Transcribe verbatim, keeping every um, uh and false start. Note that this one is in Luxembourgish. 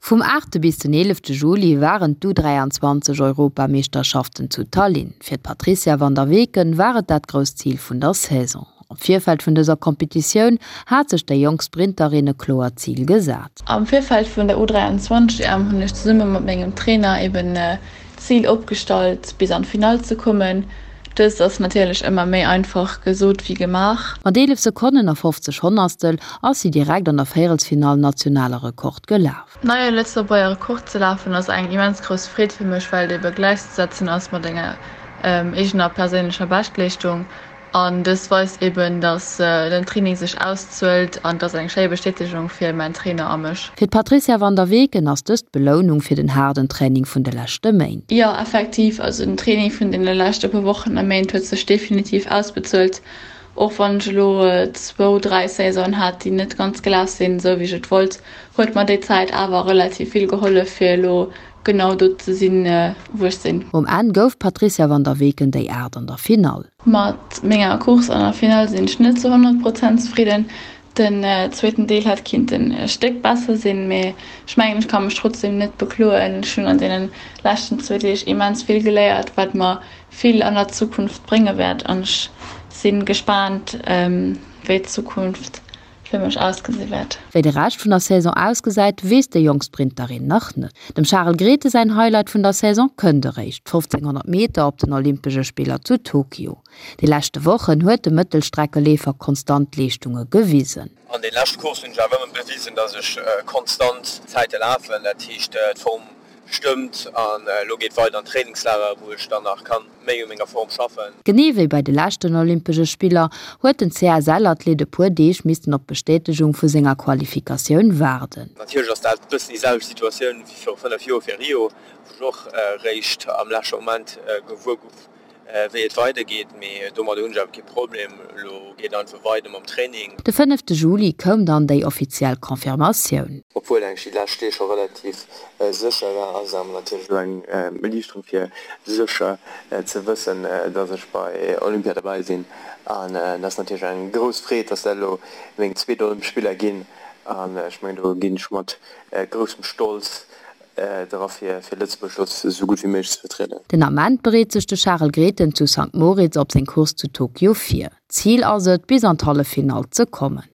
Vum aachte bis den eelefte Juli waren d'U dräianzwanzeg Europameeschterschaften zu Tallinn. Fir d'Patrizia van der Weken war et dat grousst Zil vun der Saison. Am Virfeld vun dëser Competitioun hat sech déi jonk Sprinterin e kloert Zil gesat. Am Virfeld vun der U dräianzwanzeg E M hunn ech zesumme mat mengem Trainer eben d'Zil opgestallt, bis an d'Finall ze kommen. Dëst ass natierlech ëmmer méi einfach gesot wéi gemaach. Mat eelef Sekonnen a fofzeg Honnerstel ass si direkt an der Véierelsfinall nationale Rekord gelaf. Neie Lëtzebuerger Rekord ze lafen ass eng immens grouss Freed fir mech, well et ebe gläichzesetzen ass mat enger eegener perséinlecher Beschtleeschtung. An dëst weist eben, dass den Training sech auszuelt an et ass eng schéi Bestätegung fir mäin Trainer a mech. Fir d'Patrizia van der Weken ass dëst d'Belounung fir den haarden Training vun de leschte Méint. Jo, effektiv, also den Training vun deene leschte puer Wochen a Méint huet sech definitiv ausbezuelt. Och wann ech elo zwou, dräi Saisonen hat, déi net ganz gelaf sinn, esou wéi ech et wollt, huet mer déi Zäit awer relativ vill gehollef, fir elo genau do ze sinn, wou ech sinn. Um Enn gouf d'Patrizia van der Weken déi Aacht an der Finall. Mat menger Course an der Finall sinn ech net zu honnert Prozent zefridden. Den zweeten Deel hätt kinnten e Stéck besser sinn, mee ech mengen ech ka mech trotzdem net bekloen. Ech hunn an deenen leschten zwee Deeg immens vill geléiert, wat mer vill an der Zukunft brénge wäert an ech si gespaant, wéi d'Zukunft fir mech ausgesi wäert. Wéi de Rescht vun der Saison ausgesäit, weess déi jonk Sprinterin nach net. Dem Charel Grethe säin Highlight vun der Saison kënnt eréischt, d'fofzénghonnert Meter op den Olympesche Spiller zu Tokio. Déi leschte Wochen huet de Mëttelstreckeleefer konstant Leeschtunge gewisen. An den leschte Courssen hunn ech awer ëmmer bewisen, dass ech konstant Zäite lafen, dat heescht d'Form stëmmt an elo geet weider an d'Trainingslager, wou ech dann nach kann méi u menger Form schaffen. Genee wéi bei de leschten Olympesche Spiller huet den C S L-Athlet e puer Deeg missten op d'Bestätegung vu senger Qualifikatioun waarden. Natierlech ass dat e bëssen déi selwecht Situatioun wéi viru fënnef Joer fir Rio, wou ech och réischt am leschte Moment gewuer gouf, wéi et weidergeet, mee domadder hunn ech awer kee Problem. Elo geet et einfach weider mam Training. De fënnefte Juli koum dann déi offiziell Confirmatioun. Obwuel eigentlech déi lescht Deeg scho relativ sécher war, ass et awer natierlech elo eng Erliichterung fir sécher ze wëssen, dass ech bei Olympia derbäi sinn. An et ass natierlech eng grouss Freed, dass dat elo meng zweet Olympesch Spiller ginn. An ech mengen, do ginn ech mat groussem Stolz dra fir fir Lëtzebuerg do esou gutt wéi méiglech ze vertrieden. Den Ament bereet sech de Charel Grethen zu Sankt Moritz op seng Course zu Tokio vir. Zil ass et, bis an d'Halleffinall ze kommen.